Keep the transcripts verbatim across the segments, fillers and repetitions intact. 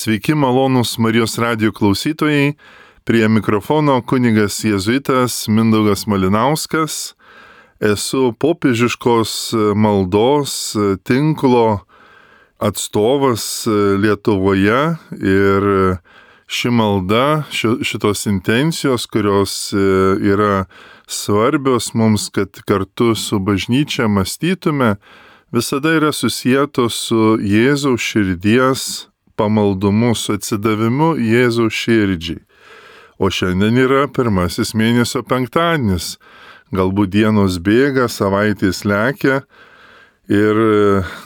Sveiki malonūs Marijos radijo klausytojai, prie mikrofono kunigas jėzuitas Mindaugas Malinauskas. Esu popiežiškos maldos tinklo atstovas Lietuvoje ir ši malda, šitos intencijos, kurios yra svarbios mums, kad kartu su bažnyčia mąstytume, visada yra susietos su Jėzaus širdies pamaldumu, su atsidavimu Jėzaus širdžiai. O šiandien yra pirmasis mėnesio penktadienis. Galbūt dienos bėga, savaitės lekia ir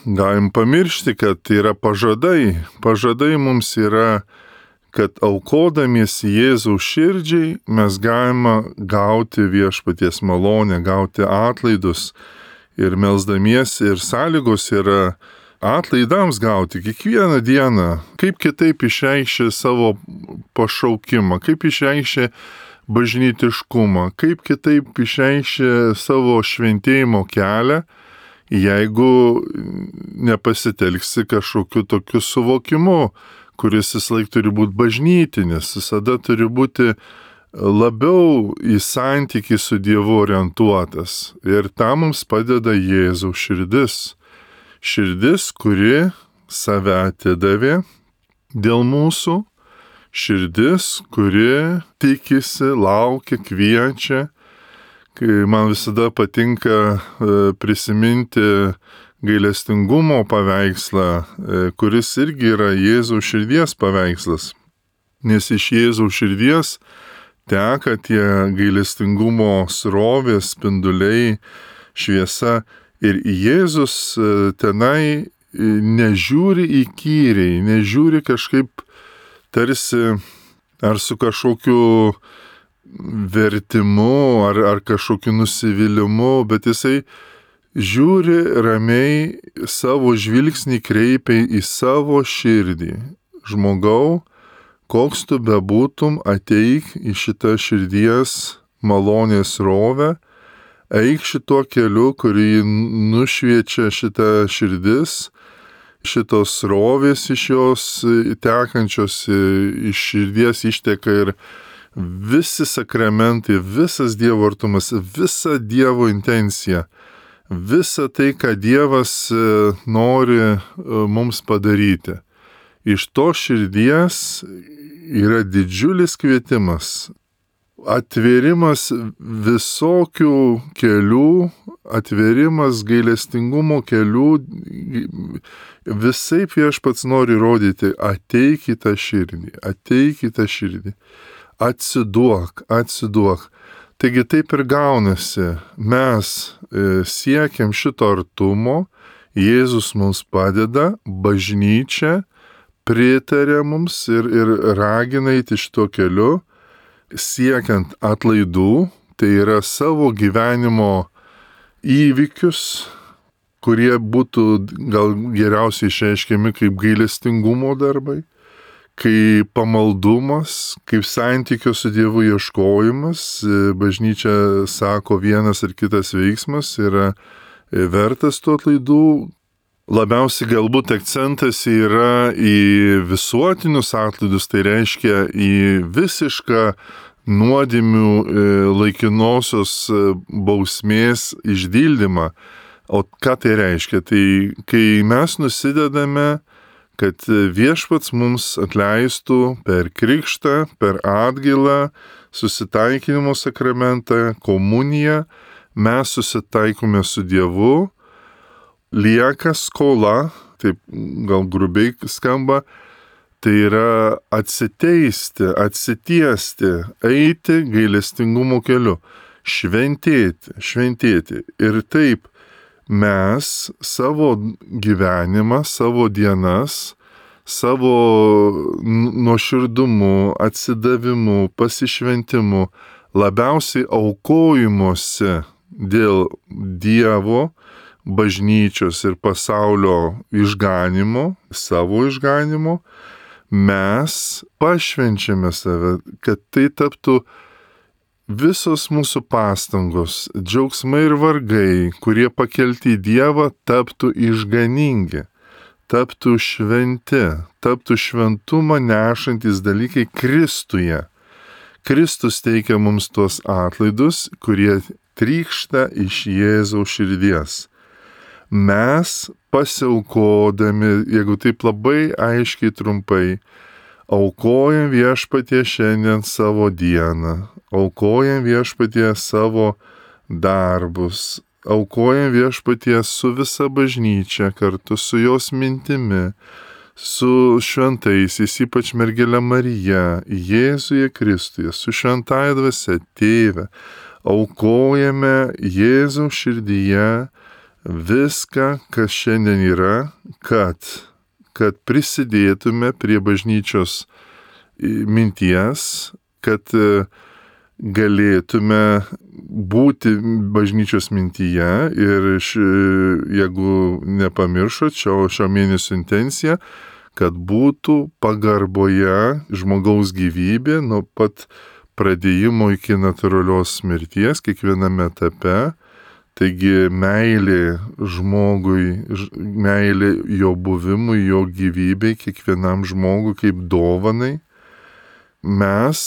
galim pamiršti, kad yra pažadai. Pažadai mums yra, kad aukodamiesi Jėzaus širdžiai mes galime gauti viešpaties malonę, gauti atlaidus. Ir melsdamiesi ir sąlygos yra atlaidams gauti kiekvieną dieną, kaip kitaip išreikšti savo pašaukimą, kaip išreikšti bažnytiškumą, kaip kitaip išreikšti savo šventėjimo kelią, jeigu nepasitelksi kažkokiu tokiu suvokimu, kuris vis laik turi būti bažnytinis, visada turi būti labiau į santykį su Dievu orientuotas. Ir tam mums padeda Jėzaus širdis. Širdis, kuri save atidavė dėl mūsų, širdis, kuri tikisi, laukia, kviečia. Kai man visada patinka prisiminti gailestingumo paveikslą, kuris irgi yra Jėzaus širdies paveikslas. Nes iš Jėzaus širdies teka tie gailestingumo srovės, spinduliai, šviesa. Ir Jėzus tenai nežiūri įkyriai, nežiūri kažkaip tarsi ar su kažkokiu vertimu, ar, ar kažkokiu nusivylimu, bet jisai žiūri ramiai, savo žvilgsnį kreipia į savo širdį. Žmogau, koks tu bebūtum, ateik į šitą širdies malonės rovę, eik šituo keliu, kurį nušviečia šita širdis, šitos srovės iš jos tekančios, iš širdies išteka ir visi sakramentai, visas Dievo artumas, visa Dievo intencija, visa tai, ką Dievas nori mums padaryti. Iš to širdies yra didžiulis kvietimas. Atvėrimas visokių kelių, atvėrimas gailestingumo kelių, visaip viešpats nori rodyti, ateik į tą širdį, ateik į tą širdį, atsiduok, atsiduok. Taigi taip ir gaunasi, mes siekiam šito artumo, Jėzus mums padeda, bažnyčia pritarė mums ir, ir ragina eiti šito keliu, siekiant atlaidų, tai yra savo gyvenimo įvykius, kurie būtų gal geriausiai išreiškiami kaip gailestingumo darbai, kaip pamaldumas, kaip santykio su Dievu ieškojimas. Bažnyčia sako, vienas ar kitas veiksmas yra vertas tų atlaidų. Labiausiai galbūt akcentas yra į visuotinius atlaidus, tai reiškia į visišką nuodėmių laikinosios bausmės išdildymą. O ką tai reiškia? Tai kai mes nusidedame, kad viešpats mums atleistų per krikštą, per atgailą, susitaikinimo sakramentą, komuniją, mes susitaikome su Dievu, lieka skola, taip gal grubiai skamba, tai yra atsiteisti, atsitiesti, eiti gailestingumo keliu, šventėti, šventėti. Ir taip mes savo gyvenimą, savo dienas, savo nuoširdumu, atsidavimu, pasišventimu, labiausiai aukojimuose dėl Dievo, bažnyčios ir pasaulio išganimo, savo išganimo, mes pašvenčiame save, kad tai taptų visos mūsų pastangos, džiaugsmai ir vargai, kurie pakelti į Dievą, taptų išganingi. taptų šventi, taptų šventumą nešantis dalykai Kristuje. Kristus teikia mums tuos atlaidus, kurie trykšta iš Jėzaus širdies. Mes pasiaukodami, jeigu taip labai aiškiai trumpai, aukojam Viešpatie šiandien savo dieną, aukojam Viešpatie savo darbus, aukojam Viešpatie su visa bažnyčia, kartu su jos mintimi, su šventaisiais, ypač mergelė Marija, Jėzuje Kristuje, su šventąja dvasia, Tėve, aukojame Jėzaus širdyje viską, kas šiandien yra, kad, kad prisidėtume prie bažnyčios minties, kad galėtume būti bažnyčios mintyje ir ši, jeigu nepamiršot šio, šio mėnesio intencija, kad būtų pagarboje žmogaus gyvybė nuo pat pradėjimo iki natūralios mirties kiekviename etape. Taigi meilė žmogui, meilė jo buvimui, jo gyvybei, kiekvienam žmogui kaip dovanai. Mes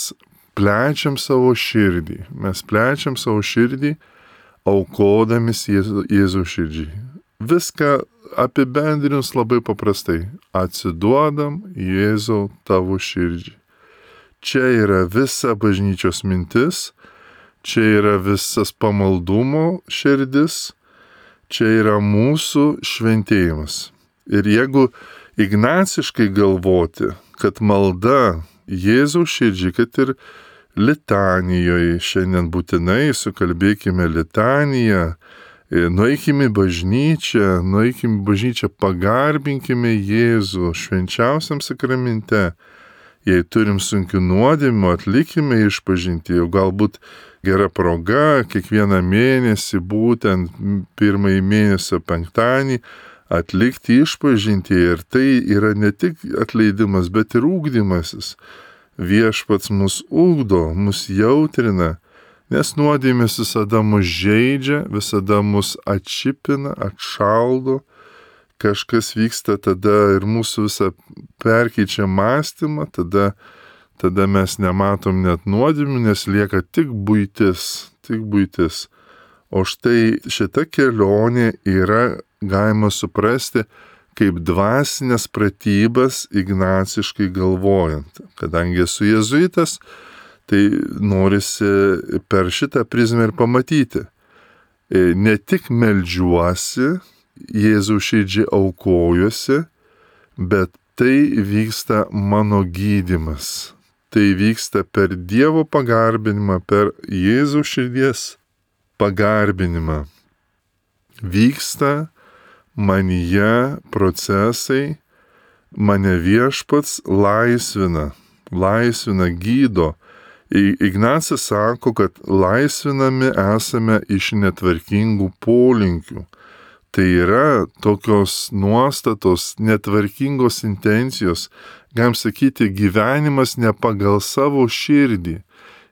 plečiam savo širdį, mes plečiam savo širdį, aukodamis Jėzu, Jėzaus širdžiai. Viską apibendrinus labai paprastai. Atsiduodam Jėzau tavo širdžiai. Čia yra visa bažnyčios mintis, čia yra visas pamaldumo širdis, čia yra mūsų šventėjimas. Ir jeigu ignaciškai galvoti, kad malda Jėzaus širdžiai, kad ir litanijoje šiandien būtinai sukalbėkime litaniją, nueikime į bažnyčią, nueikime į bažnyčią, pagarbinkime Jėzų švenčiausiam sakramente. Jei turim sunkių nuodėmių, atlikime išpažintį, jau galbūt gera proga kiekvieną mėnesį, būtent pirmąjį mėnesio penktadienį, atlikti išpažintį. Ir tai yra ne tik atleidimas, bet ir ugdymasis. Viešpats mus ugdo, mus jautrina, nes nuodėmės visada mus žeidžia, visada mus atšipina, atšaldo. Kažkas vyksta tada ir mūsų visą perkeičia mąstymą, tada, tada mes nematom net nuodėmių, nes lieka tik buitis, tik buitis. O štai šita kelionė yra galima suprasti kaip dvasinės pratybas ignaciškai galvojant. Kadangi esu jėzuitas, tai norisi per šitą prizmę ir pamatyti. Ne tik meldžiuosi, Jėzaus širdžiai aukojuosi, bet tai vyksta mano gydymas. Tai vyksta per Dievo pagarbinimą, per Jėzaus širdies pagarbinimą. Vyksta manyje procesai, mane Viešpats laisvina, laisvina, gydo. Ignacas sako, kad laisvinami esame iš netvarkingų polinkių. Tai yra tokios nuostatos, netvarkingos intencijos, galim sakyti, gyvenimas ne pagal savo širdį,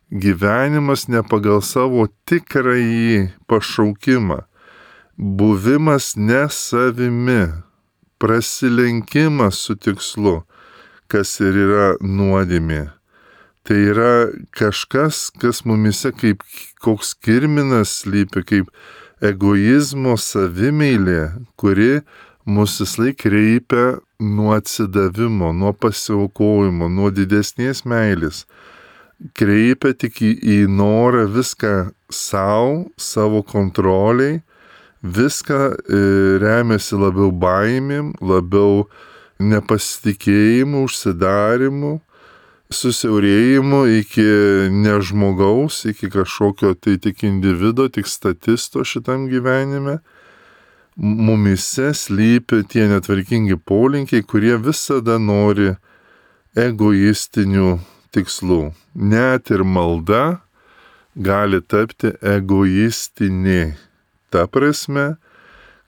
gyvenimas ne pagal savo tikrąjį pašaukimą, buvimas ne savimi, prasilenkimas su tikslu, kas ir yra nuodėmė. Tai yra kažkas, kas mumise kaip koks kirminas slypi, kaip egoizmo savimeilė, kuri mus vislaik kreipia nuo atsidavimo, nuo pasiaukojimo, nuo didesnės meilės. Kreipia tik į, į norą viską savo, savo kontroliai, viską e, remiasi labiau baimėm, labiau nepasitikėjimu, užsidarimu, susiaurėjimu iki nežmogaus, iki kažkokio tai tik individo, tik statisto šitam gyvenime. Mumise slypi tie netvarkingi polinkiai, kurie visada nori egoistinių tikslų. Net ir malda gali tapti egoistinė. Ta prasme,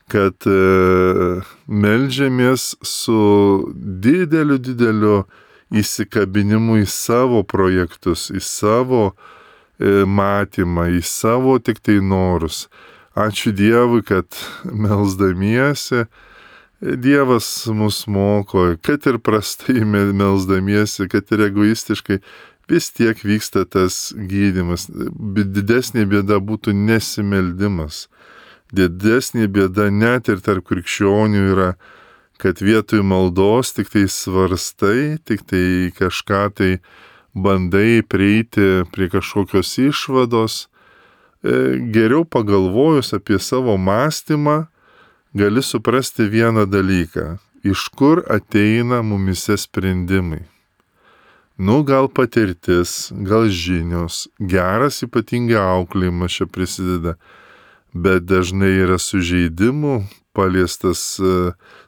kad e, meldžiamės su dideliu, dideliu įsikabinimu į savo projektus, į savo e, matymą, į savo tik tai norus. Ačiū Dievui, kad melsdamiesi Dievas mus moko, kad ir prastai melsdamiesi, kad ir egoistiškai, vis tiek vyksta tas gydymas. Didesnė bėda būtų nesimeldimas. Didesnė bėda net ir tarp krikščionių yra, kad vietoj maldos tik tai svarstai, tik tai kažką tai bandai prieiti prie kažkokios išvados. Geriau pagalvojus apie savo mąstymą, gali suprasti vieną dalyką. Iš kur ateina mumise sprendimai? Nu, gal patirtis, gal žinios, geras ypatingai auklėjimas čia prisideda, bet dažnai yra sužeidimų, paliestas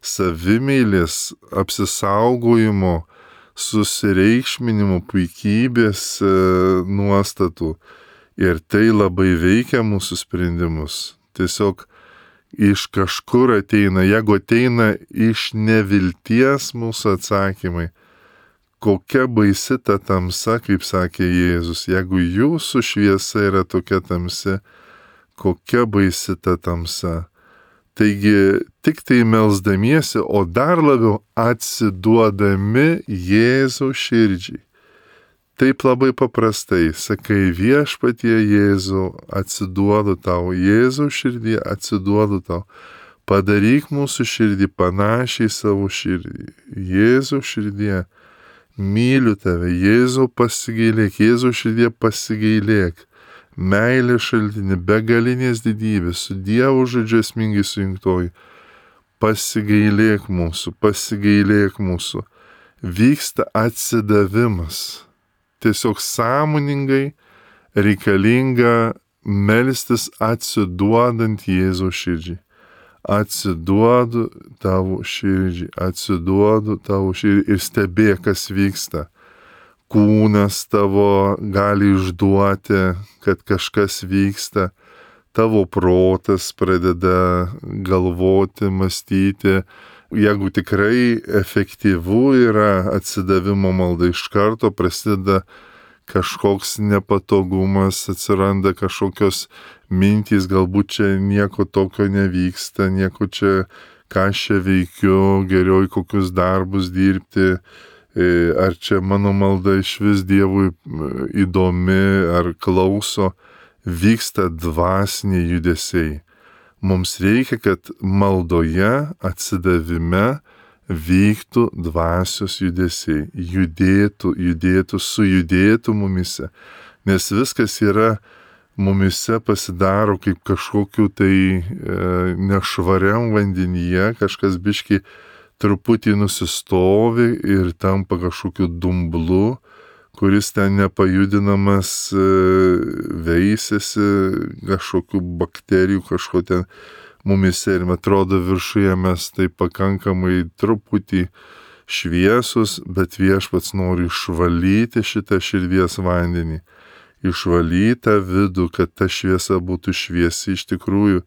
savimeilės, apsisaugojimo, susireikšminimo, puikybės nuostatų. Ir tai labai veikia mūsų sprendimus. Tiesiog iš kažkur ateina, jeigu ateina iš nevilties mūsų atsakymai, kokia baisi ta tamsa, kaip sakė Jėzus, jeigu jūsų šviesa yra tokia tamsi, kokia baisi ta tamsa. Taigi tik tai melsdamiesi, o dar labiau atsiduodami Jėzaus širdžiai. Taip labai paprastai, sakai viešpatie Jėzau, atsiduodu tau, Jėzaus širdį atsiduodu tau. Padaryk mūsų širdį panašiai savo širdį. Jėzaus širdie, myliu tave, Jėzau pasigailėk, Jėzaus širdie pasigailėk. Meilė šaltinį, begalinės didybės, su Dievo žodžiu esmingai sujungtoji. Pasigailėk mūsų, pasigailėk mūsų. Vyksta atsidavimas. Tiesiog sąmoningai reikalinga melstis atsiduodant Jėzaus širdžiai. Atsiduodu tavo širdžiai, atsiduodu tavo širdžiai ir stebėk, kas vyksta. Kūnas tavo gali išduoti, kad kažkas vyksta, tavo protas pradeda galvoti, mąstyti. Jeigu tikrai efektyvu yra atsidavimo malda, iš karto prasideda kažkoks nepatogumas, atsiranda kažkokios mintys, galbūt čia nieko tokio nevyksta, nieko čia, ką aš čia veikiu, geriau į kokius darbus dirbti. Ar čia mano malda iš vis Dievui įdomi, ar klauso, vyksta dvasiniai judesiai. Mums reikia, kad maldoje, atsidavime vyktų dvasios judesiai, judėtų, judėtų, sujudėtų mumise, nes viskas yra mumise pasidaro kaip kažkokiu tai e, nešvariam vandenyje, kažkas biški truputį nusistovi ir tampa kažkokiu dumblu, kuris ten nepajudinamas veisiasi, kažkokių bakterijų, kažko ten mumise ir atrodo viršuje mes tai pakankamai truputį šviesus, bet Viešpats nori išvalyti šitą širdies vandenį, išvalyti tą vidų, kad ta šviesa būtų šviesi iš tikrųjų,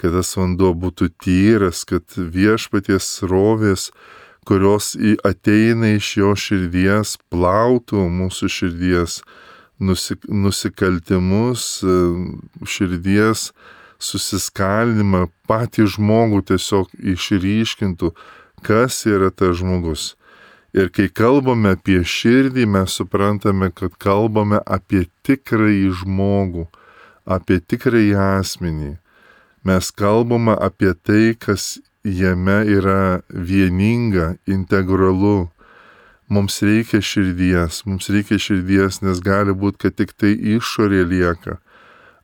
kad tas vanduo būtų tyras, kad Viešpaties srovės, kurios ateina iš jo širdies, plautų mūsų širdies nusik, nusikaltimus, širdies susiskaldimą, patį žmogų tiesiog išryškintų, kas yra tas žmogus. Ir kai kalbame apie širdį, mes suprantame, kad kalbame apie tikrąjį žmogų, apie tikrąjį asmenį. Mes kalbame apie tai, kas jame yra vieninga, integralu. Mums reikia širdies, mums reikia širdies, nes gali būti, kad tik tai išorė lieka.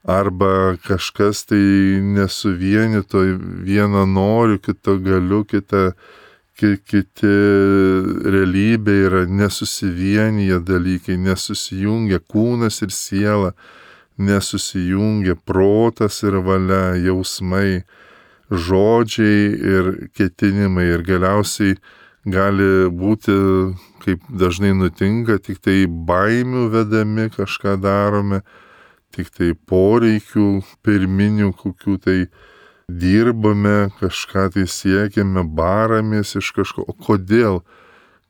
Arba kažkas tai nesuvienito, vieną noriu, kitą galiu, kitą, kiti realybė yra nesusivienyje dalykai, nesusijungia kūnas ir siela, nesusijungia protas ir valia, jausmai, žodžiai ir ketinimai. Ir galiausiai gali būti, kaip dažnai nutinka, tik tai baimių vedami kažką darome, tik tai poreikių pirminių kokių tai dirbame, kažką tai siekiame, baramės iš kažko. O kodėl?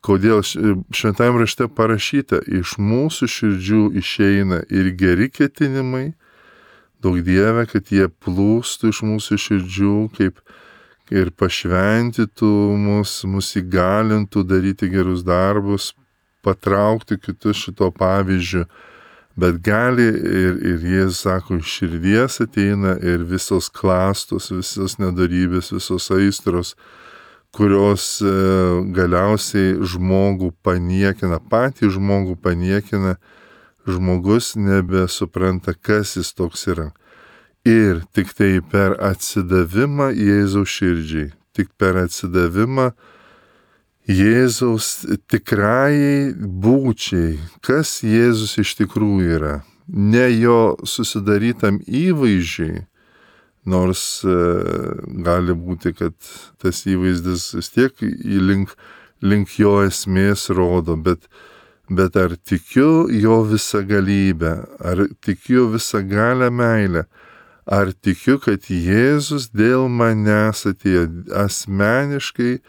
Kodėl šventajame rašte parašyta, iš mūsų širdžių išeina ir geri ketinimai, daug Dieve, kad jie plūstų iš mūsų širdžių, kaip, ir pašventytų mus, mus įgalintų daryti gerus darbus, patraukti kitus šito pavyzdžiu. Bet gali ir, ir Jėzus sako, iš širdies ateina ir visos klastos, visos nedarybės, visos aistros, kurios e, galiausiai žmogų paniekina, patį žmogų paniekina, žmogus nebesupranta, kas jis toks yra. Ir tik tai per atsidavimą Jėzaus širdžiai, tik per atsidavimą Jėzaus tikrajai būčiai, kas Jėzus iš tikrųjų yra, ne jo susidarytam įvaizdžiai, nors e, gali būti, kad tas įvaizdis vis tiek link, link jo esmės rodo, bet, bet ar tikiu jo visagalybę, ar tikiu visagalę meilę, ar tikiu, kad Jėzus dėl manęs atėjo asmeniškai,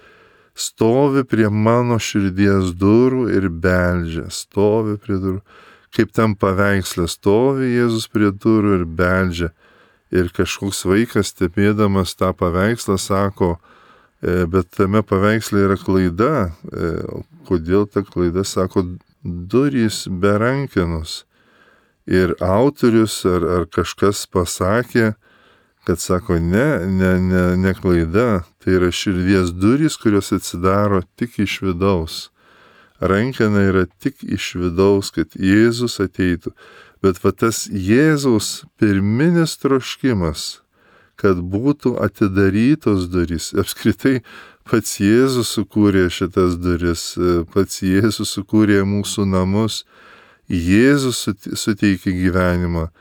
stovi prie mano širdies durų ir beldžia, stovi prie durų. Kaip tam paveiksle stovi Jėzus prie durų ir beldžia. Ir kažkoks vaikas stebėdamas tą paveikslą sako, e, bet tame paveiksle yra klaida. E, kodėl ta klaida? Sako, durys be rankenos. Ir autorius ar, ar kažkas pasakė, kad sako, ne, ne, ne, ne klaida, tai yra širdies durys, kurios atsidaro tik iš vidaus. Rankena yra tik iš vidaus, kad Jėzus ateitų. Bet va tas Jėzaus pirminis troškimas, kad būtų atidarytos durys. Apskritai, pats Jėzus sukūrė šitas duris, pats Jėzus sukūrė mūsų namus, Jėzus suteikė gyvenimą.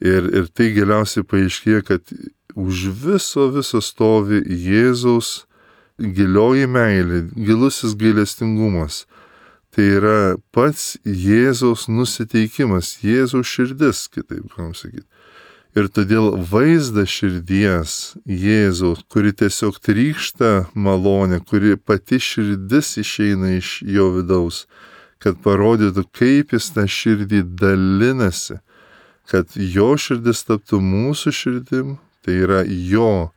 Ir, ir tai galiausiai paaiškėja, kad už viso viso stovi Jėzaus gilioji meilė, gilusis gailestingumas. Tai yra pats Jėzaus nusiteikimas, Jėzaus širdis, kitaip galim sakyti. Ir todėl vaizdas širdies Jėzaus, kuri tiesiog trykšta malonė, kuri pati širdis išeina iš jo vidaus, kad parodytų, kaip jis tą širdį dalinasi, kad jo širdis taptų mūsų širdim, tai yra jo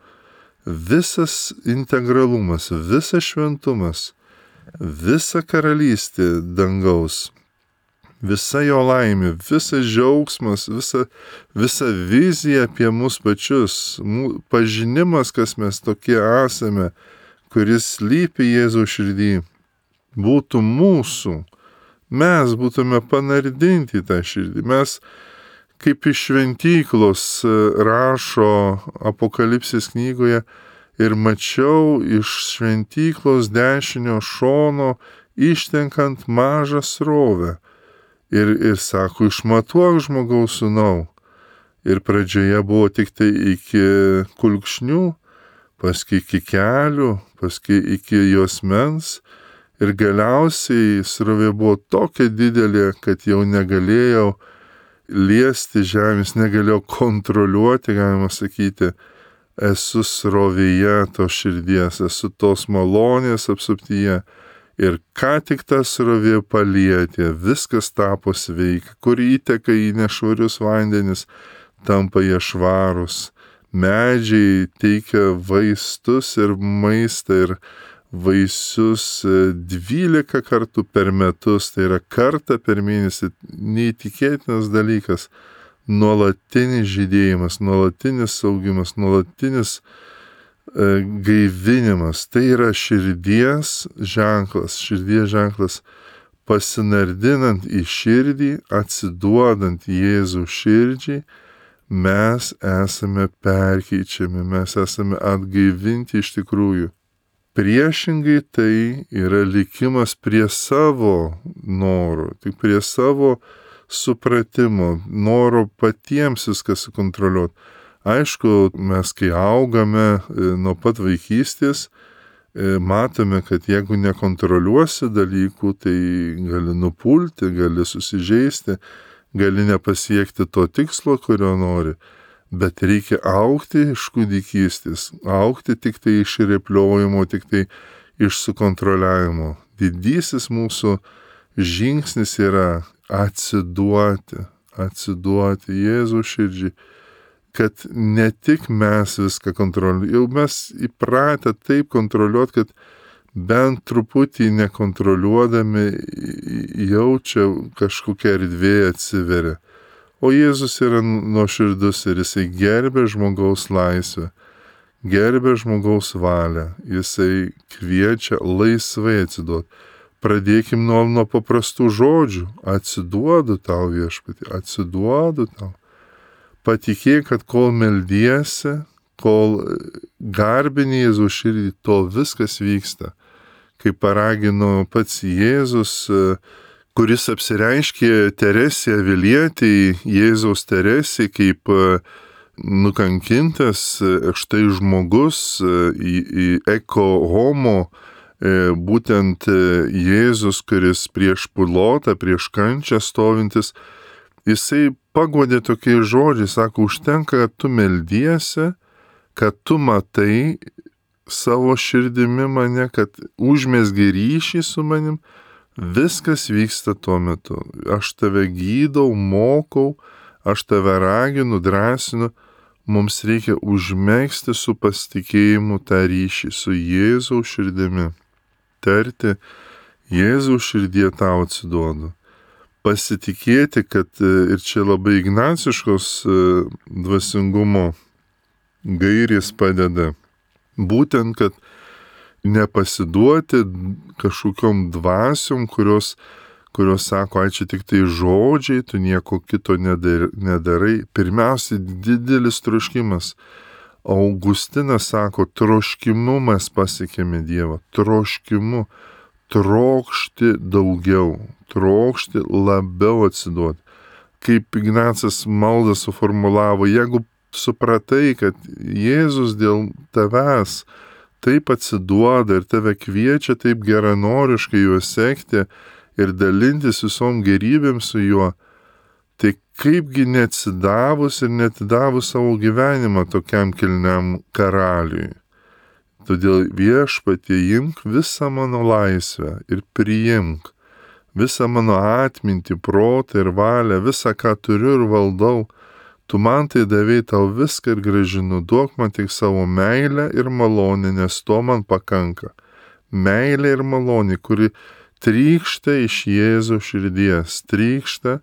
visas integralumas, visas šventumas, visa karalystė dangaus, visa jo laimė, visas džiaugsmas, visa, visa vizija apie mus pačius, mū, pažinimas, kas mes tokie esame, kuris slypi Jėzaus širdį, būtų mūsų, mes būtume panardinti į tą širdį, mes kaip iš šventyklos rašo Apokalipsės knygoje, ir mačiau iš šventyklos dešinio šono ištenkant mažą srovę. Ir, ir sako, išmatuok žmogaus sūnau. Ir pradžioje buvo tik tai iki kulkšnių, paskui iki kelių, paskui iki juosmens. Ir galiausiai srovė buvo tokia didelė, kad jau negalėjau liesti žemės, negalėjau kontroliuoti, galima sakyti, esu srovėje to širdies, esu tos malonės apsuptyje. Ir ką tik ta srovė palietė, viskas tapo sveika, kur įteka į nešvarius vandenis, tampa jie švarus. Medžiai teikia vaistus ir maistą ir vaisius dvylika kartų per metus, tai yra kartą per mėnesį, neįtikėtinas dalykas, nuolatinis žydėjimas, nuolatinis augimas, nuolatinis e, gaivinimas, tai yra širdies ženklas, širdies ženklas pasinardinant į širdį, atsiduodant Jėzų širdžiai, mes esame perkeičiami, mes esame atgaivinti iš tikrųjų. Priešingai tai yra likimas prie savo norų, tik prie savo supratimo, noro patiems viską sukontroliuoti. Aišku, mes kai augame nuo pat vaikystės, matome, kad jeigu nekontroliuosi dalykų, tai gali nupulti, gali susižeisti, gali nepasiekti to tikslo, kurio nori. Bet reikia augti iš kūdikystės, augti tik tai iš repliojimo, tik tai iš sukontroliavimo. Didysis mūsų žingsnis yra atsiduoti, atsiduoti Jėzaus širdžiai, kad ne tik mes viską kontroliuojame, jau mes įpratę taip kontroliuoti, kad bent truputį nekontroliuodami jaučia kažkokia erdvė atsiveria. O Jėzus yra nuoširdus ir jisai gerbia žmogaus laisvę, gerbia žmogaus valią, jisai kviečia laisvai atsiduoti. Pradėkim nuo, nuo paprastų žodžių. Atsiduodu tau, viešpatie, atsiduodu tau. Patikėk, kad kol meldiesi, kol garbini Jėzaus širdį, tol viskas vyksta. Kaip paragino pats Jėzus, kuris apsireiškė Teresė Avilietei, Jėzaus Teresė, kaip nukankintas štai žmogus į, į eko homo, būtent Jėzus, kuris prieš Pilotą, prieš kančią stovintis, jisai paguodė tokiais žodžiais, sako, užtenka, kad tu meldiesi, kad tu matai savo širdimi mane, kad užmesgi ryšį su manim, viskas vyksta tuo metu. Aš tave gydau, mokau, aš tave raginu, drąsinu, mums reikia užmegzti su pasitikėjimu tą ryšį su Jėzaus širdimi. Tarti, Jėzaus širdie tau atsiduodu. Pasitikėti, kad ir čia labai ignaciškos dvasingumo gairės padeda. Būtent, kad nepasiduoti kažkokiom dvasiom, kurios, kurios sako, ai čia tik tai žodžiai, tu nieko kito nedarai. Pirmiausia, didelis troškimas. Augustinas sako, troškimu mes pasiekėme Dievą, troškimu, trokšti daugiau, trokšti labiau atsiduoti. Kaip Ignacas maldą suformulavo, jeigu supratai, kad Jėzus dėl tavęs taip atsiduoda ir tave kviečia taip geranoriškai juo sekti ir dalintis visom gerybėm su juo, tai kaipgi neatsidavus ir netidavus savo gyvenimą tokiam kilniam karaliui. Todėl viešpatie, imk visą mano laisvę ir priimk visą mano atmintį, protą ir valią, visą, ką turiu ir valdau. Tu man tai davei, tau viską ir gražinu, duok man tik savo meilę ir malonę, nes to man pakanka. Meilė ir malonė, kuri trykšta iš Jėzaus širdies, trykšta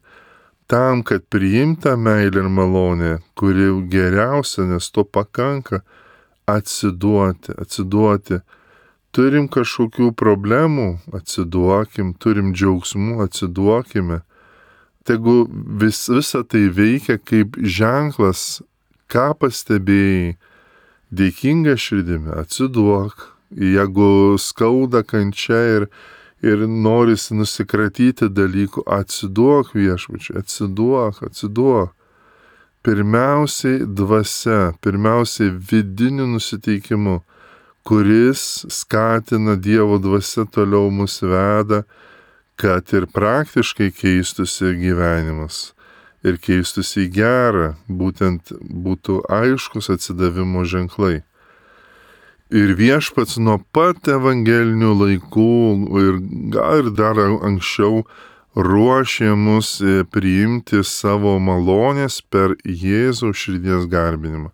tam, kad priimta meilė ir malonė, kuri geriausia, nes to pakanka, atsiduoti, atsiduoti. Turim kažkokių problemų, atsiduokim, turim džiaugsmų, atsiduokime. Tegu vis, visa tai veikia kaip ženklas, ką pastebėjai, dėkinga širdimi, atsiduok. Jeigu skauda kančia ir, ir norisi nusikratyti dalykų, atsiduok viešpačiui, atsiduok, atsiduok. Pirmiausiai dvasia, pirmiausiai vidiniu nusiteikimu, kuris skatina Dievo dvasia toliau mus veda, kad ir praktiškai keistusi gyvenimas ir keistusi į gerą, būtent būtų aiškus atsidavimo ženklai. Ir Viešpats nuo pat evangelinių laikų ir gal ir dar anksčiau ruošė mus priimti savo malonės per Jėzaus širdies garbinimą,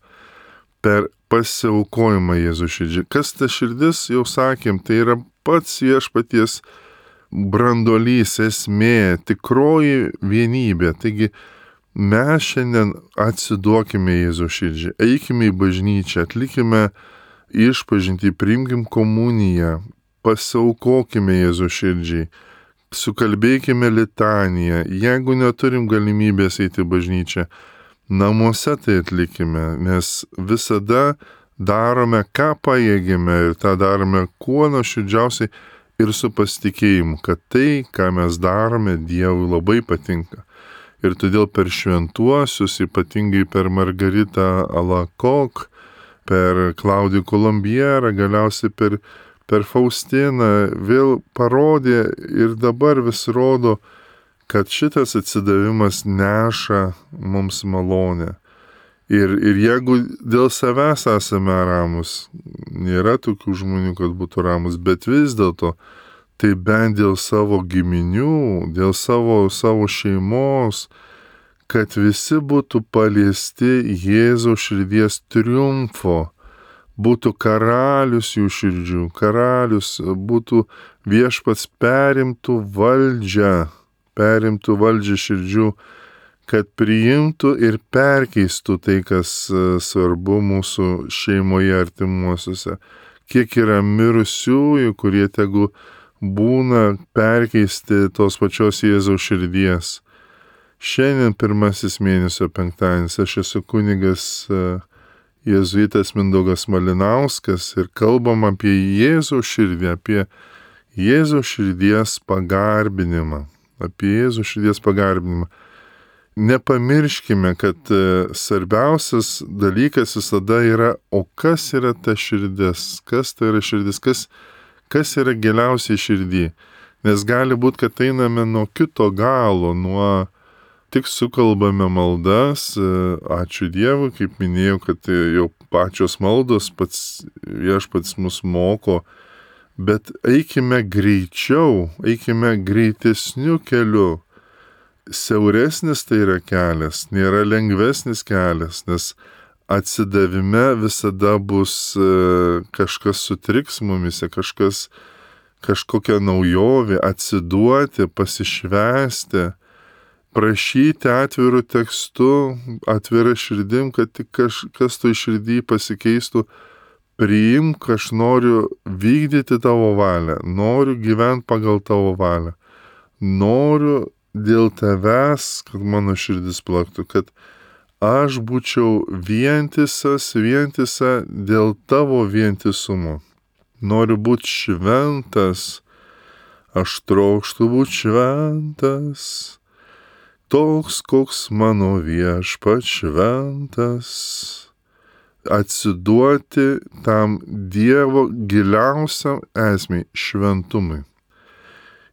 per pasiaukojimą Jėzaus širdžiai. Kas ta širdis, jau sakėm, tai yra pats Viešpaties branduolys, esmė, tikroji vienybė. Taigi mes šiandien atsiduokime Jėzaus širdžiai, eikime į bažnyčią, atlikime išpažintį, priimkim komuniją, pasiaukokime Jėzaus širdžiai, sukalbėkime litaniją. Jeigu neturim galimybės eiti į bažnyčią, namuose tai atlikime, nes visada darome, ką pajėgime ir tą darome kuo nuoširdžiausiai ir su pasitikėjimu, kad tai, ką mes darome, Dievui labai patinka. Ir todėl per šventuosius, ypatingai per Margaritą Alakok, per Klaudijų Kolumbierą, galiausiai per, per Faustiną, vėl parodė ir dabar vis rodo, kad šitas atsidavimas neša mums malonę. Ir, ir jeigu dėl savęs esame ramus, nėra tokių žmonių, kad būtų ramus, bet vis dėlto, tai bent dėl savo giminių, dėl savo, savo šeimos, kad visi būtų paliesti Jėzaus širdies triumfo, būtų karalius jų širdžių, karalius, būtų viešpats perimtų valdžią, perimtų valdžią širdžių, kad priimtų ir perkeistų tai, kas svarbu mūsų šeimoje artimuosiuose. Kiek yra mirusiųjų, kurie tegu būna perkeisti tos pačios Jėzaus širdies. Šiandien pirmasis mėnesio penktadienis, aš esu kunigas jėzuitas Mindaugas Malinauskas ir kalbam apie Jėzaus širdį, apie Jėzaus širdies pagarbinimą, apie Jėzaus širdies pagarbinimą. Nepamirškime, kad svarbiausias dalykas visada yra, o kas yra ta širdis, kas tai yra širdis, kas, kas yra giliausiai širdį. Nes gali būti, kad einame nuo kito galo, nuo tik sukalbame maldas, ačiū Dievui, kaip minėjau, kad jau pačios maldos pats viešpats mus moko, bet eikime greičiau, eikime greitesniu keliu. Siauresnis tai yra kelias, nėra lengvesnis kelias, nes atsidavime visada bus kažkas sutriks mumise, kažkas, kažkokia naujovė, atsiduoti, pasišvęsti, prašyti atvirų tekstu, atvira širdim, kad tik kažkas toj širdį pasikeistų, priimk, aš noriu vykdyti tavo valią, noriu gyventi pagal tavo valią, noriu dėl tavęs, kad mano širdis plaktų, kad aš būčiau vientisas, vientisa dėl tavo vientisumo. Noriu būti šventas, aš trokštu būti šventas, toks, koks mano viešpats šventas. Atsiduoti tam Dievo giliausiam esmei, šventumui.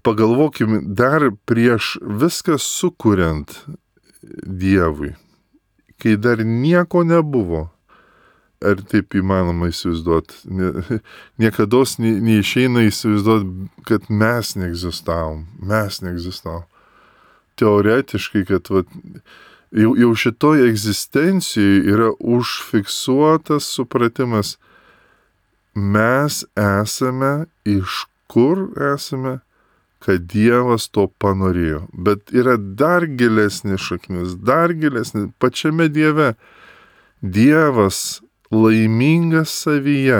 Pagalvokime, dar prieš viską sukuriant Dievui, kai dar nieko nebuvo, ar taip įmanoma įsivaizduoti, niekados neišeina įsivaizduoti, kad mes neegzistavom, mes neegzistavom. Teoretiškai, kad vat, jau, jau šitoj egzistencijoje yra užfiksuotas supratimas, mes esame, iš kur esame, kad Dievas to panorėjo. Bet yra dar gilesnis šaknis, dar gilesnis, pačiame Dieve. Dievas laimingas savyje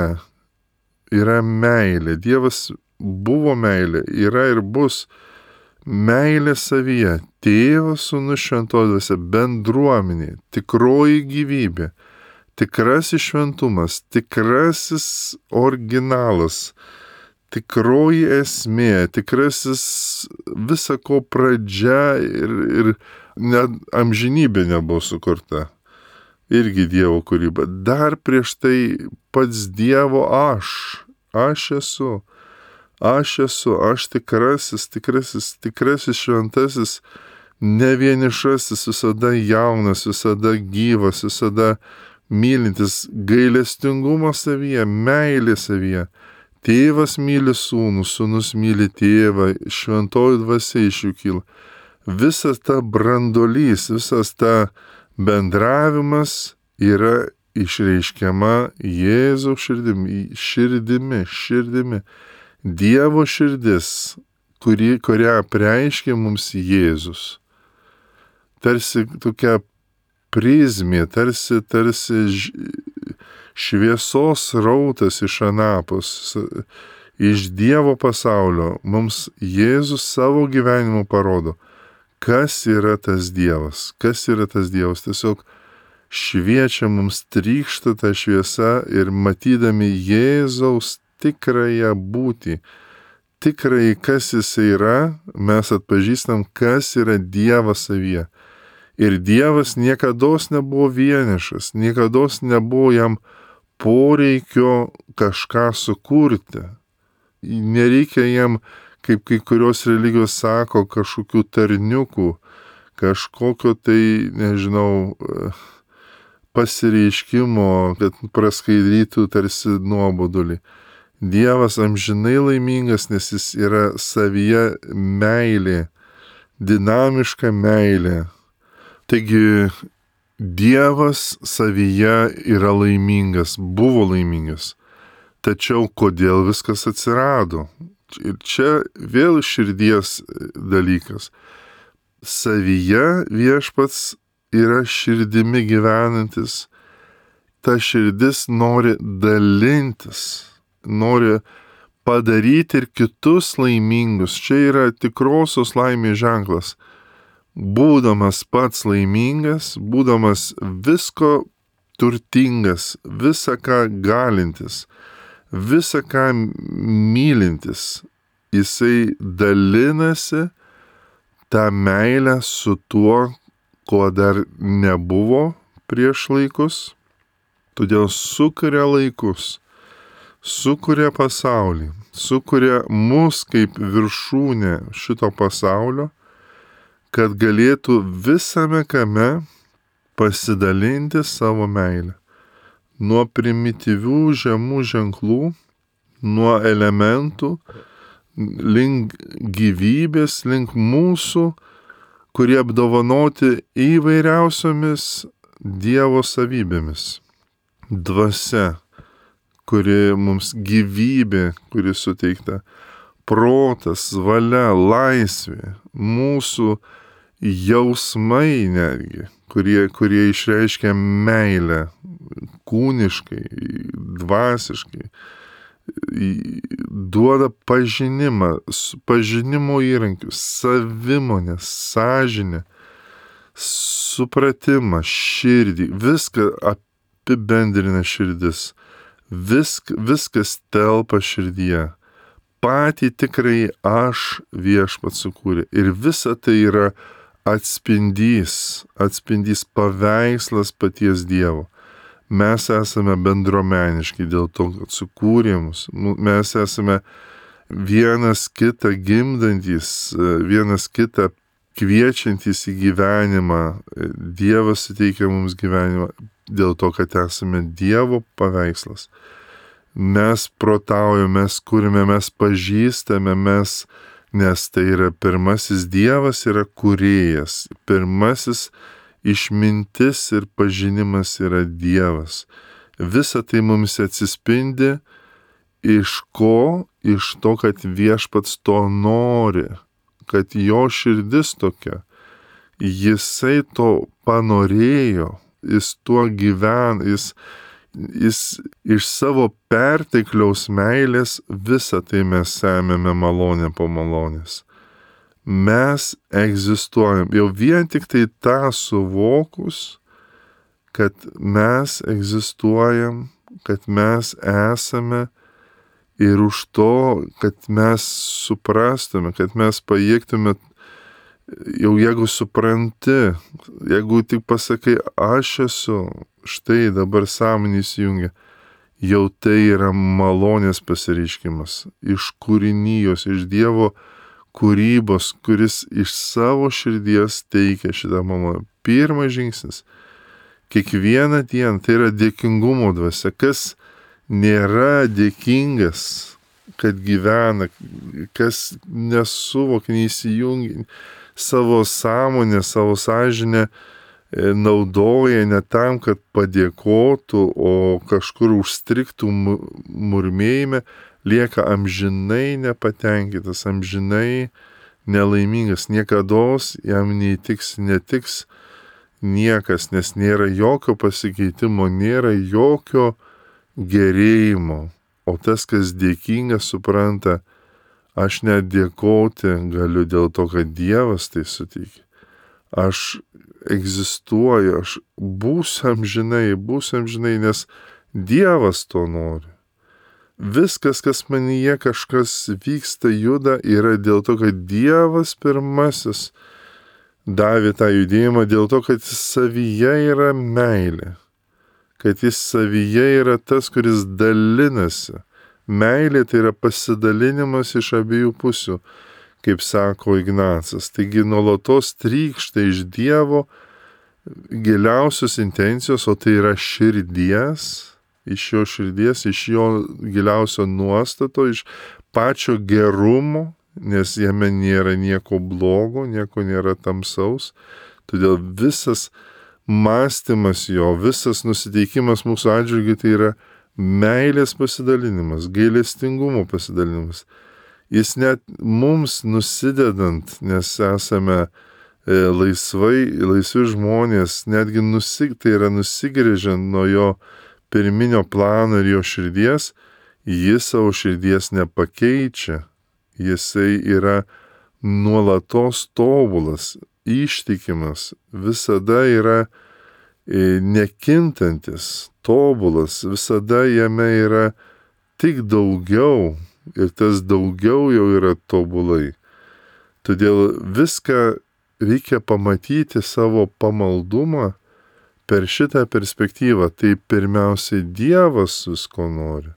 yra meilė. Dievas buvo meilė, yra ir bus meilė savyje. Tėvas, Sūnus, Šventoji Dvasia, bendruomenė, tikroji gyvybė, tikrasis šventumas, tikrasis originalas, tikroji esmė, tikrasis visako pradžia ir, ir net amžinybė nebuvo sukurta. Irgi Dievo kūryba. Dar prieš tai pats Dievo aš. Aš esu. Aš esu. Aš tikrasis, tikrasis, tikrasis šventasis, ne vienišasis, visada jaunas, visada gyvas, visada mylintis, gailestingumo savyje, meilė savyje. Tėvas myli sūnų, sūnus myli tėvą, šventoji dvasia iš jų kyla. Visas ta brandolys, visas ta bendravimas yra išreiškiama Jėzaus širdimi, širdimi, širdimi. Dievo širdis, kuri, kurią apreiškė mums Jėzus. Tarsi tokia prizmė, tarsi, tarsi šviesos rautas iš anapus, iš Dievo pasaulio, mums Jėzus savo gyvenimu parodo, kas yra tas Dievas, kas yra tas Dievas. Tiesiog šviečia mums, trykšta ta šviesa ir matydami Jėzaus tikrąją būtį, tikrąjį, kas jis yra, mes atpažįstam, kas yra Dievas savyje. Ir Dievas niekados nebuvo vienišas, niekados nebuvo jam poreikio kažką sukurti. Nereikia jam, kaip kai kurios religijos sako, kažkokių tarniukų, kažkokio tai, nežinau, pasireiškimo, kad praskaidrytų tarsi nuobodulį. Dievas amžinai laimingas, nes jis yra savyje meilė, dinamiška meilė. Taigi Dievas savyje yra laimingas, buvo laimingas. Tačiau kodėl viskas atsirado? Ir čia vėl širdies dalykas. Savyje viešpats yra širdimi gyvenantis. Ta širdis nori dalintis, nori padaryti ir kitus laimingus. Čia yra tikrosios laimės ženklas. Būdamas pats laimingas, būdamas visko turtingas, visą ką galintis, visą ką mylintis, jisai dalinasi tą meilę su tuo, ko dar nebuvo prieš laikus. Todėl sukuria laikus, sukuria pasaulį, sukuria mus kaip viršūnę šito pasaulio, kad galėtų visame kame pasidalinti savo meilę. Nuo primityvių žemų ženklų, nuo elementų, link gyvybės, link mūsų, kurie apdovanoti įvairiausiomis Dievo savybėmis. Dvasia, kuri mums gyvybė, kuri suteikta, protas, valia, laisvė, mūsų jausmai netgi, kurie, kurie išreiškia meilę kūniškai, dvasiškai, duoda pažinimą, pažinimo įrankius, savimonę, sąžinę, supratimą, širdį, viską apibendrina širdis, Visk, viskas telpa širdyje. Patį tikrai aš viešpats sukūrė. Ir visa tai yra atspindys, atspindys paveikslas paties Dievo. Mes esame bendruomeniški dėl to, kad sukūrė mus. Mes esame vienas kitą gimdantis, vienas kitą kviečiantis į gyvenimą. Dievas suteikia mums gyvenimą dėl to, kad esame Dievo paveikslas. Mes protaujame, mes kūrime, mes pažįstame, mes, nes tai yra pirmasis Dievas, yra kūrėjas. Pirmasis išmintis ir pažinimas yra Dievas. Visa tai mums atsispindi iš ko? Iš to, kad viešpats to nori, kad jo širdis tokia. Jisai to panorėjo, jis tuo gyvena, jis Jis iš savo pertekliaus meilės visą tai mes semiame malonę po malonės. Mes egzistuojam. Jau vien tik tai tą suvokus, kad mes egzistuojam, kad mes esame ir už to, kad mes suprastume, kad mes pajėgtume, jau jeigu supranti, jeigu tik pasakai, aš esu, štai dabar sąmonė įsijungia, jau tai yra malonės pasireiškimas iš kūrinijos, iš Dievo kūrybos, kuris iš savo širdies teikia šitą malonę. Pirmas žingsnis. Kiekvieną dieną tai yra dėkingumo dvasia. Kas nėra dėkingas, kad gyvena, kas nesuvokia, neįsijungia savo sąmonę, savo sąžinę, naudoja ne tam, kad padėkotų, o kažkur užstriktų murmėjime, lieka amžinai nepatenkintas, amžinai nelaimingas. Niekados jam neįtiks, netiks niekas, nes nėra jokio pasikeitimo, nėra jokio gerėjimo. O tas, kas dėkingas, supranta, aš net dėkoti galiu dėl to, kad Dievas tai suteikia. Aš egzistuoju, aš būsiu amžinai, būsiu amžinai, nes Dievas to nori. Viskas, kas manyje kažkas vyksta, juda, yra dėl to, kad Dievas pirmasis davė tą judėjimą, dėl to, kad jis savyje yra meilė, kad jis savyje yra tas, kuris dalinasi. Meilė tai yra pasidalinimas iš abiejų pusių, kaip sako Ignacas. Taigi nuolatos trykšta iš Dievo giliausios intencijos, o tai yra širdies, iš jo širdies, iš jo giliausio nuostato, iš pačio gerumo, nes jame nėra nieko blogo, nieko nėra tamsaus. Todėl visas mąstymas jo, visas nusiteikimas mūsų atžvilgiu tai yra meilės pasidalinimas, gailestingumo pasidalinimas. Jis net mums nusidedant, nes esame e, laisvai, laisvi žmonės, netgi nusig, tai yra nusigrėžiant nuo jo pirminio plano ir jo širdies, jis savo širdies nepakeičia. Jisai yra nuolatos tobulas, ištikimas, visada yra e, nekintantis, tobulas, visada jame yra tik daugiau. Ir tas daugiau jau yra tobulai. Todėl viską reikia pamatyti savo pamaldumą per šitą perspektyvą. Tai pirmiausiai Dievas visko nori.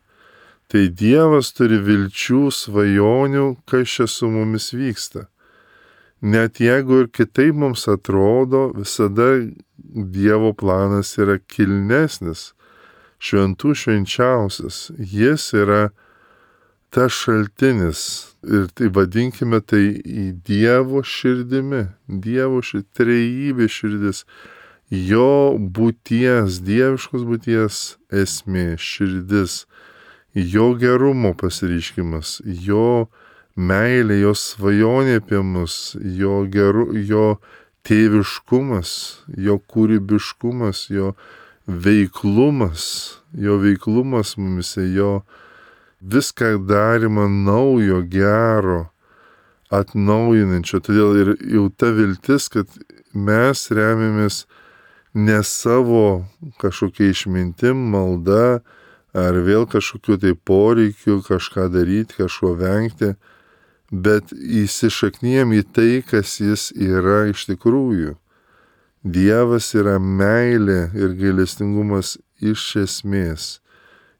Tai Dievas turi vilčių, svajonių, kas čia su mumis vyksta. Net jeigu ir kitaip mums atrodo, visada Dievo planas yra kilnesnis, šventų švenčiausias. Jis yra tas šaltinis ir tai vadinkime tai į Dievo širdimi, Dievo širdį, trejybė širdis, jo būties, dieviškos būties esmė, širdis, jo gerumo pasireiškimas, jo meilė, jo svajonė apie mus, jo, geru, jo tėviškumas, jo kūrybiškumas, jo veiklumas, jo veiklumas mumise, jo viską darymą naujo, gero, atnaujinančio. Todėl ir jau ta viltis, kad mes remiamės ne savo kažkokia išmintim, malda, ar vėl kažkokiu tai poreikiu kažką daryti, kažko vengti, bet įsišaknyjam į tai, kas jis yra iš tikrųjų. Dievas yra meilė ir gailestingumas iš esmės.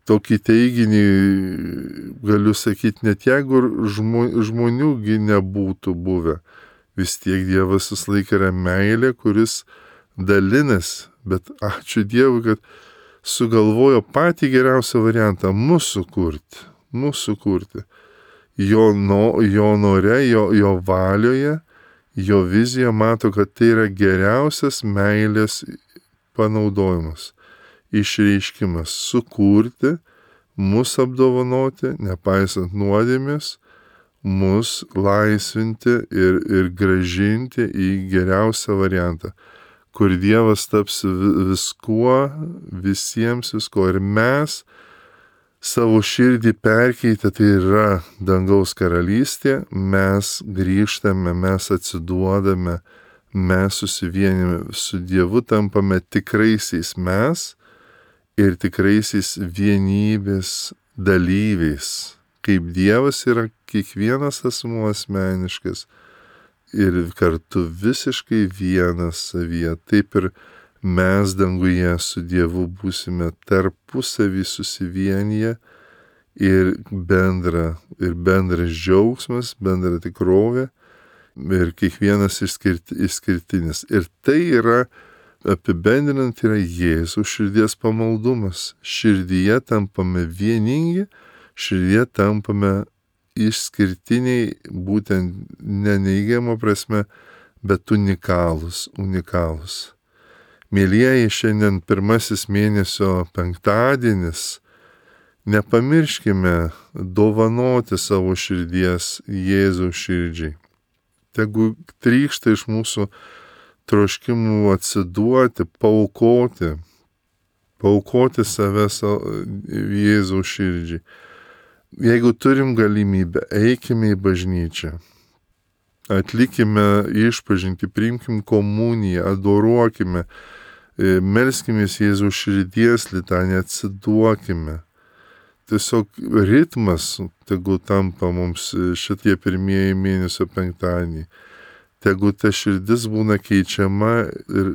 Tokį teiginį galiu sakyti, net jeigu žmoniųgi nebūtų buvę, vis tiek Dievas vis laik yra meilė, kuris dalinas, bet ačiū Dievui, kad sugalvojo patį geriausią variantą - mūsų kurti, mūsų kurti. Jo, no, jo nore, jo, jo valioje, jo vizija mato, kad tai yra geriausias meilės panaudojimas. Išreiškimas - sukurti, mus apdovanoti, nepaisant nuodėmės, mus laisvinti ir, ir gražinti į geriausią variantą, kur Dievas taps viskuo, visiems viskuo. Ir mes savo širdį perkeitę, tai yra dangaus karalystė, mes grįžtame, mes atsiduodame, mes susivienime su Dievu, tampame tikraisiais mes, ir tikraisiais vienybės dalyviais, kaip Dievas yra kiekvienas asmuo asmeniškas ir kartu visiškai vienas savyje, taip ir mes danguje su Dievu būsime tarpusavį susivienyje ir bendra, ir bendras džiaugsmas, bendra tikrovė ir kiekvienas išskirti, išskirtinis. Ir tai yra apibendrinant yra Jėzaus širdies pamaldumas. Širdyje tampame vieningi, širdyje tampame išskirtiniai, būtent neneigiamo prasme, bet unikalūs, unikalūs. Mėlyjeji, šiandien pirmasis mėnesio penktadienis, nepamirškime dovanoti savo širdies Jėzaus širdžiai. Tegu trykšta iš mūsų troškimų atsiduoti, paaukoti, paaukoti save Jėzaus širdžiai. Jeigu turim galimybę, eikime į bažnyčią, atlikime išpažintį, priimkim komuniją, adoruokime, melskimės Jėzaus širdies litaniją, atsiduokime. Tiesiog ritmas, tegu tampa mums šitie pirmieji mėnesio penktadieniai. Tegu ta širdis būna keičiama ir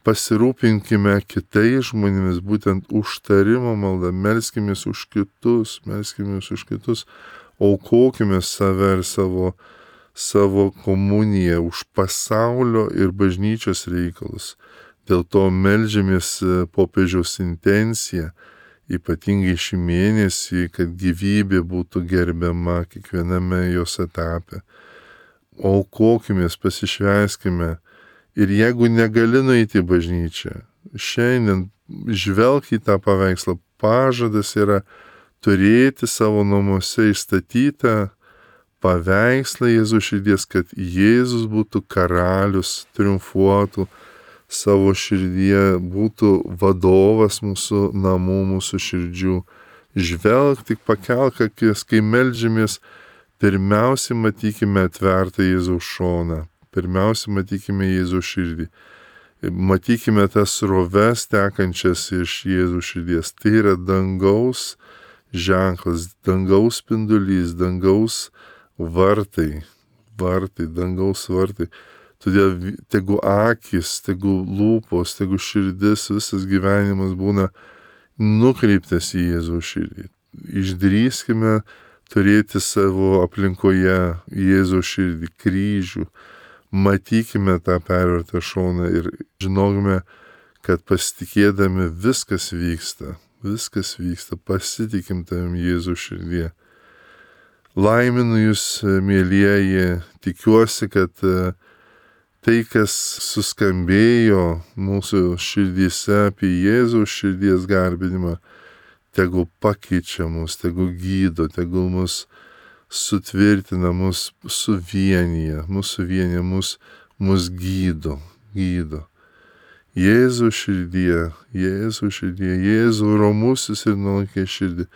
pasirūpinkime kitais žmonėmis, būtent užtarimo malda, melskimės už kitus, melskimės už kitus, aukokime save ir savo, savo komuniją už pasaulio ir bažnyčios reikalus. Dėl to meldžiamės popiežiaus intenciją, ypatingai šį mėnesį, kad gyvybė būtų gerbiama kiekviename jos etape. Aukokimės, pasišvęskime Ir jeigu negali nueiti į bažnyčią, šiandien žvelk į tą paveikslą. Pažadas yra turėti savo namuose įstatytą paveikslą Jėzaus širdies, kad Jėzus būtų karalius, triumfuotų savo širdyje, būtų vadovas mūsų namų, mūsų širdžių. Žvelk, tik pakelk akis, kai meldžiamės, pirmiausia matykime atvertą Jėzaus šoną, pirmiausia matykime Jėzaus širdį, matykime tas sroves tekančias iš Jėzaus širdies. Tai yra dangaus ženklas, dangaus spindulys, dangaus vartai, vartai, dangaus vartai. Todėl tegu akis, tegu lūpos, tegu širdis, visas gyvenimas būna nukreiptas į Jėzaus širdį. Išdrįskime turėti savo aplinkoje Jėzaus širdį, kryžių, matykime tą pervertą šoną ir žinokime, kad pasitikėdami viskas vyksta, viskas vyksta, pasitikim tavim Jėzaus širdie. Laiminu jūs, mielieji, tikiuosi, kad tai, kas suskambėjo mūsų širdyse apie Jėzaus širdies garbinimą, tegul pakeičia mus, tegul gydo, tegul mus sutvirtina, mus suvienyje, mus suvienyje, mus, mus gydo, gydo. Jėzaus širdie, Jėzaus širdie, Jėzau romusis ir nuolankė širdį,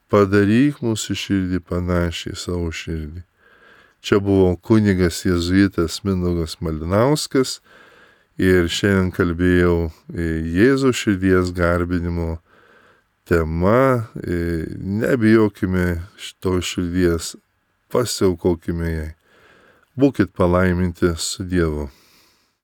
padaryk mūsų širdį panašiai savo širdį. Čia buvo kunigas jėzuitas Mindaugas Malinauskas ir šiandien kalbėjau Jėzaus širdies garbinimo tema. Nebijokime šitos širdies, pasiaukokime jai. Būkit palaiminti su Dievu.